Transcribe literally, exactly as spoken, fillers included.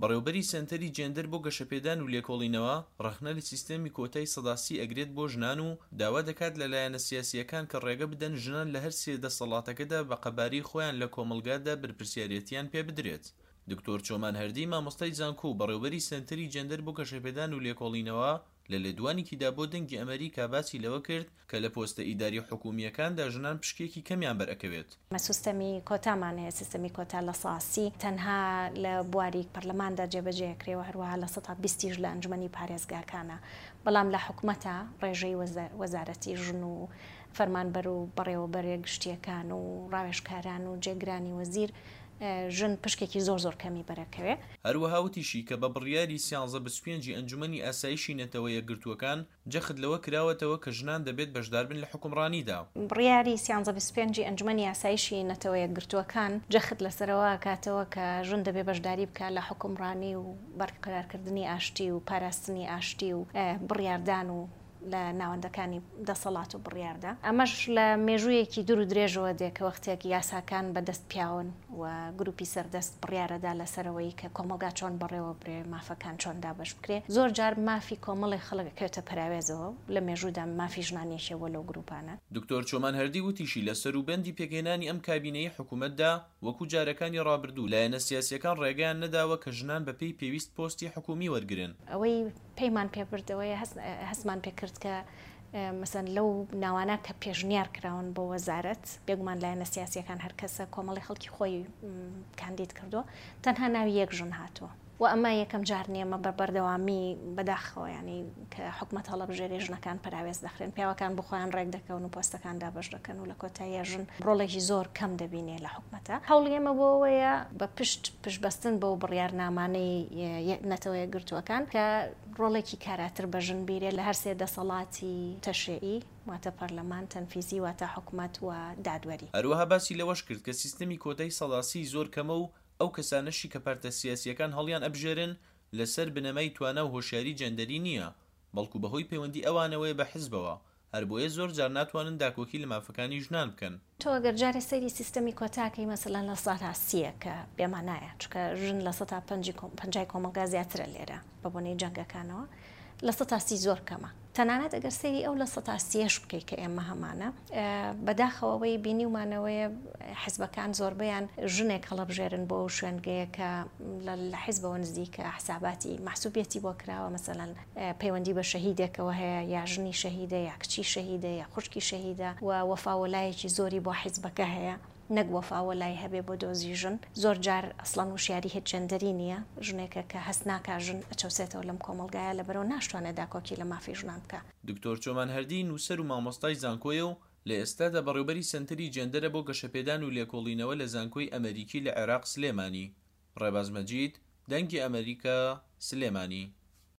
بەڕێوبەری سەنتەری جێندەر بۆ گەشەپێدان و لێکۆڵینەوە، ڕەخنە لە سیستەمی کۆتای سەدا سی ئەگرێت بۆ ژنان و داوا دەکات لە لایەنە سیاسییەکان کە ڕێگە بدەن ژنان لە هەر سێ دەسەڵاتەکەدا بە قەبارەی خۆیان لە کۆمەڵگادا بەرپرسیارێتیان پێ بدرێت. دکتۆر چۆمان هەردی، مامۆستای زانکۆ و بەڕێوبەری سەنتەری جێندەر بۆ گەشەپێدان و لێکۆڵینەوە، لە لێدوانێکیدا بۆ دەنگی ئەمەریکا باسی لەوە کرد کە لە پۆستە ئیداری حکومییەکاندا ژنان پشکێکی کەمیان بەرئەکەوێت. سیستەمی کۆتامان هەیە، سیستەمی کۆتا لە سەدا سی تەنها لە بواری پەرلەماندا جێبەجێ کرێ و هەروەها لە سەدا بیستیش لە ئەنجومەنی پارێزگاکانە، بەڵام لە حکومەتە ڕێژەی وەزارەتی ژن و فەرمانبەر و بەڕێوەبەرە گشتیەکان و ڕاوێژکاران و جێگرانی وەزیر ژن پشکێکی زۆر زۆر کەمی بەرەکەوێ. هەروەها وتیشی کە بە بڕیاری سیانزە بیست و پێنجی ئەنجومەنی ئاسایشی نەتەوە یەکگرتووەکان جەخت لەوە کراوەتەوە کە ژنان دەبێت بەشداربن لە حکومڕانیدا. بڕیاری سیانزە بیست و پێنجی ئەنجومەنی ئاسایشی نەتەوە یەکگرتووەکان جەخت لەسەرەوە کاتەوە کە ژن دەبێت بەشداری بکات لە حکومڕانی و بەرقەرارکردنی ئاشتی و پاراستنی ئاشتی و بڕیاردان و لە ناوەندەکانی دەسەڵات و بڕیاردا. ئەمەش لە مێژوویەکی دوور و درێژەوە دێ کە وەختێک یاساکان بەدەست پیاون و گروپی سەردەست بڕیارەدا لەسەرەوەی کە کۆمەڵگا چۆن بەڕێوە برێ، مافەکان چۆن دابەش بکرێ. زۆر جار مافی کۆمەڵی خەڵک ئەکەوێتە پەراوێزەوە، لە مێژوودا مافی ژنان یەکێ بووە لەو گروپانە. دکتۆر چۆمان هەردی وتیشی لە سەروبەندی پێکهێنانی ئەم کابینەی حکوومەتدا وەکو جارەکانی ڕابردوو لایەنە سیاسیەکان ڕێگەیان نەداوە کە ژنان بەپێی پێویست پۆستی حکوومی وەرگرن. ئەوەی پەیمان پێبردەوەیە هەستمان پێکرد کە مەسەن لەو ناوانە کە پێشنیار کراون بۆ وەزارەت، بێگومان لایەنە سیاسیەکان هەر کەسە کۆمەڵی خەڵکی خۆی کاندید کردووە، تەنها ناوی یەک ژن هاتووە و ئەمە یەکەم جار نییە بە بەردەوامی بەداخەوە، ینی کە حکومەت هەڵەبژێرێ ژنەکان پەراوێز دەخرێن، پیاوەکان بۆ خۆیان ڕێک دەکەون و پۆستەکان دابەش دەکەن و لە کۆتاییە ژن ڕۆڵێکی زۆر کەم دەبینێ لە حکومەتە. هەوڵی ئێمە بۆ ئەوەیە بە پشت پشتبەستن بەو بڕیارنامانەی نەتەوە یەکگرتووەکان کە ڕۆڵێکی کاراتر بە ژن بیرێ لە هەر سێ دەسەڵاتی تەشریعی، واتە پەرلەمان، تەنفیزی، واتە حکومەت و دادوەری. هەروەها باسی لەوەش کرد کە سیستەمی کۆتای سەدا سی زۆر کەمە و ئەو کەسانەشی کە پارتە سیاسیەکان هەڵیان ئەبژێرن لەسەر بنەمای توانا و هۆشیاری جەندەری نییە، بەڵکو بەهۆی پەیوەندی ئەوانەوەیە بە حزبەوە، هەر بۆیە زۆر جار ناتوانن داکۆکی لە مافەکانی ژنان بکەن. تۆ ئەگەر جارێ سەیری سیستەمی کۆتاکەی مەسەلەن لە سەدا سییە کە بێمانایە، چونکە ژن لە سەدا پەنجای کۆمەڵگا زیاترە لێرە بە بۆنەی جەنگەکانەوە، لە سەدا سی زۆر کەمە. تەنانەت ئەگەر سەیری ئەو لە سەدا سیەش بکەیت کە ئێمە هەمانە، بەداخەوە ئەوەی بینیومانەوەیە حزبەکان زۆربەیان ژنێک هەڵەبژێرن بۆ ئەو شوێنگەیە کە لە حزبەوە نزیکە، حساباتی مەحسوبیەتی بۆ کراوە، مەسەلەن پەیوەندی بە شەهیدێکەوە هەیە، یا ژنی شەهیدە، یا کچی شەهیدە، یا خوشکی شەهیدە و وەفاوەلایەکی زۆری بۆ حیزبەکە هەیە، نەک وەفاوەلای هەبێ بۆ دۆزی ژن. زۆر جار ئەسڵەن وشیاری هیچ جەندەری نییە، ژنێکە کە هەست ناکا ژن ئەچەوسێتەوە لەم کۆمەڵگایە، لەبەرەوە ناشتوانێت داکۆکی لە مافی ژنان بکا. دکتۆر چۆمان هەردی نووسەر و مامۆستای زانکۆیە و لە ئێستادا بەڕێوبەری سەنتەری جەندەرە بۆ گەشەپێدان و لێکۆڵینەوە لە زانکۆی ئەمریکی لە عێراق سلێمانی. ڕێباز مەجید، دەنگی ئەمریکا، سلێمانی.